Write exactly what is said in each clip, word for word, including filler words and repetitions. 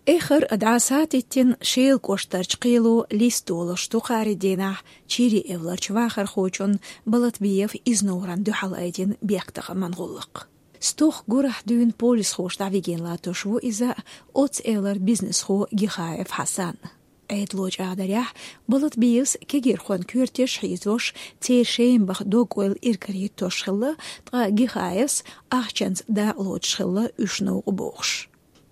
Эххар а дӀасатиттина Шелан кӀоштарчу кхело листа долуш ду кхаарин дийнахь Чири-Эвларчу вахархочун Балатбиев Изнуран дуьхьал айдина бехктакхаман гӀуллакх. Стохка гурахь дуьйна полисхоша дӀавигина латтош ву иза оццу эвлара бизнесхо Гихаев Хьасан. Ӏедало чӀагӀдарехь, Балатбиевс кегирхойн коьртеш хьийзош, церан шеман баха дог-ойла иракарахӀиттош хилла, ткъа Гихаевс ахчанца дакъалоцуш хилла уьш новкъа бохуш.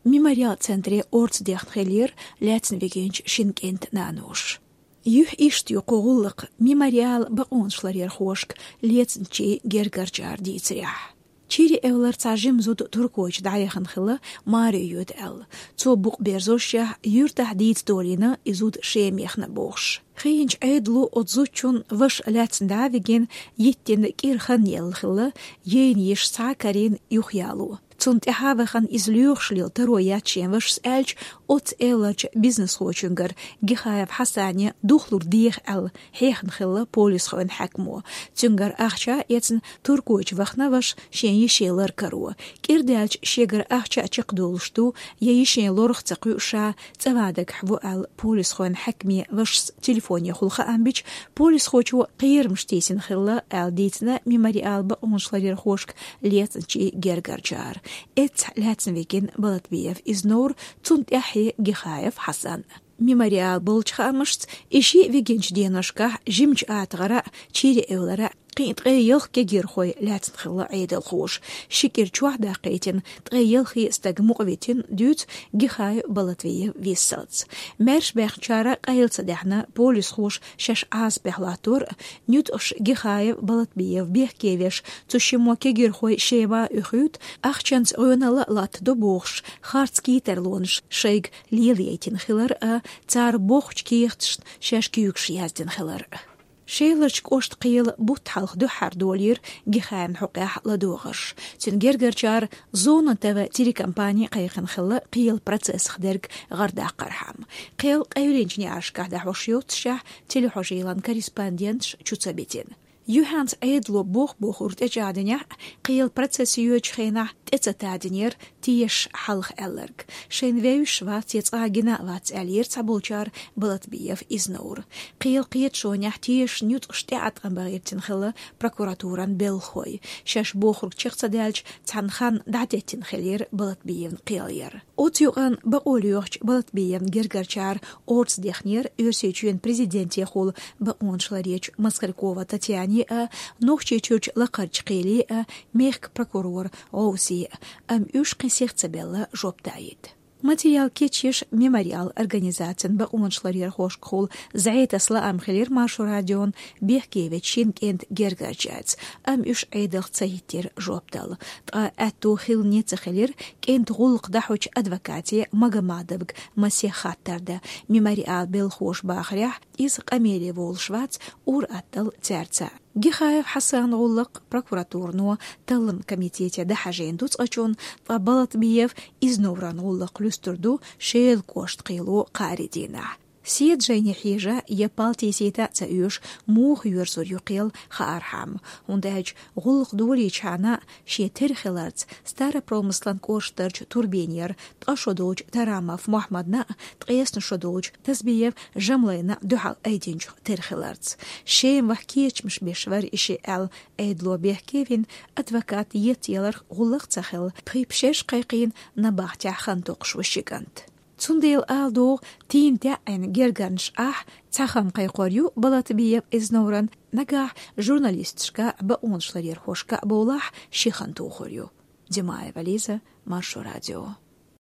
Мемориал центре орца дехна хиллера лаьцна вигинчу шина кӀентан наноша. Юьхь иштта ю кху гӀуллакхан Мемориалан бакъонаш ларъярхошка лецначийн гергарчара дийцарехь. Чири-Эвлара цхьа жима зуда Туркойчу дӀаяхана хилла, маре йоьду аьлла. Цо букъ берзошшехь, юьртахь дийца долийна и зуда Шема яхна бохуш. Хиъначу Ӏедало оцу зудчун ваша лаьцна дӀа а вигина, йиттина кӀира хан елла хилла, ейна йиш схьа а карийна юхаяло. Цунна тӀаьхьа а вахана иза лоьхуш лела таро яц шен вашас аьлча, оццу эвларчу бизнесхочуьнгара Гихаев Хьасане духлур деха аьлла хьехна хилла полисхойн хьаькамо. Цуьнгара ахча а эцна, Туркойчу вахана ваша шен йише лар каро. КӀира даьлча шегара ахча а чекхдолуш ду, я йишин лорах ца кхуьу ша, цӀа ван дагахь ву аьлла полисхойн хьаькаме вашас телефонехула хаам бича, полисхочо кхерамаш тийсина хилла аьлла дийцина Мемориалан бакъонаш ларъярхошка лецначийн гергарчара. Эццахь лаьцна вигина Балатбиев Изнур, цунна тӀаьххье Гихаев Хьасан. Мемориал болчу хаамашца, и шиъ вигинчу деношкахь жимачу АтагӀара а, Чири-Эвлара а кхин а ткъе ялх кегирхой лаьцна хилла Ӏедалхоша. Ши кӀира чохь даккхийтина, ткъе ялхе стаг мукъавитина, дуьйцу Гихаев Балатбиев виссалц. Маьрша баьхначара къайла ца даьхьна, полисхоша шаьш Ӏазапехь латтор а, нуьцкъаша Гихаев Балатбиев бехке веш, цу шиммо кегирхой Шема а уьхуьйту, ахчанца гӀоьналла а латтадо бохуш, харц кийтарлонаш шайга лелаяйтина хилар а, цара бохучу кехаташна шаьш куьйгаш яздина хилар а. Шеларчу кӀоштан кхелан бутт хьалха дуьххьара долийра Гихаевн хьокъехь ладогӀарш. Цуьнан гергарчара Зона ТВ телекомпани кхайкхина хилла кхелан процессах дерг гӀардаккхархьама. Кхел къевлинчу неӀаршкахь дӀахьош йоццушехь, телехьожийлан корреспонденташ чу ца битина. Юьхьанца Ӏедало боху-бохург тӀечӀагӀдинехь а, кхелан процесс йоьдучу хенахь тӀе ца тадинера тешаш хьалха аьлларг. Шайна вевзаш вац я цкъа гина а вац аьллера цхьаболчара Балатбиев Изнура. Кхелан кхеташонехь тешаш нуьцкъаш тӀеӀаткъам бахьийтина хилла прокуратуран белхахой. Шаьш бохург чекх ца даьлча, цхьана ханна дӀатеттина хиллера Балатбиевн кхел яр. Оцу юкъанна бакъо лоьхучу Балатбиевн гергарчара орца дехнера Оьрсийчоьнан президентехула бакъонаш ларъечу Москалькова Татьяне а, Нохчийчуьрчу Лакхарчу кхеле а, мехкан прокурор ГӀовсе а, амма уьш кхин сиха ца белла жоп даийта. Материал кечъеш Мемориал организацин бакъонаш ларъярхошкахула зӀе таса лаам хилира Маршо радион бехке вечу шина кӀентан гергарчаьрца, амма уьш Ӏедалх ца хӀиттира жоп дала. Ткъа аьтто хилла а ца хилира кӀентан гӀуллакх дӀахьочу адвокате Магомадовга масех хаттар дан. Мемориалан белхахоша бахарехь, иза къамеле волуш вац, ур-атталла цаьрца. Гихаев Хьасанан гӀуллакх прокуратуро талламан комитете дӀахьажийна ду цкъачунна, ткъа Балатбиев Изнуран гӀуллакх луьстур ду Шелан кӀоштан кхело кхаарин дийнахь. Седа жайне хьежа я пал тийсийта а ца оьшу, муха йоьрзур ю кхел хаархьама, хӀунда аьлча гӀуллакх долийчхьана шен тера хиларца Старопромыслан кӀоштарчу Турбинера ткъа шо долчу Тарамов Мухьаммадна а, ткъесна шо долчу Тазбиев Жамлайна а дуьхьал айдинчух тера хиларца. Шема ваха кечамаш беш вара и шиъ аьлла, Ӏедало бехке вина, адвокат еттаяларх гӀуллакх ца хилла, пхи-пхи шераш кхайкхийна набахтехь хан токхуш ву ши кӀант. Цундела ала догӀу, тийна таьӀӀина гергарнаш ахь цхьа хан кхайкхор ю Балатбиев Изнуран, нагахь журналисташка а, бакъонаш ларъярхошка а бовлахь ши хан тухур ю. Димаева Лиза, Маршо радио.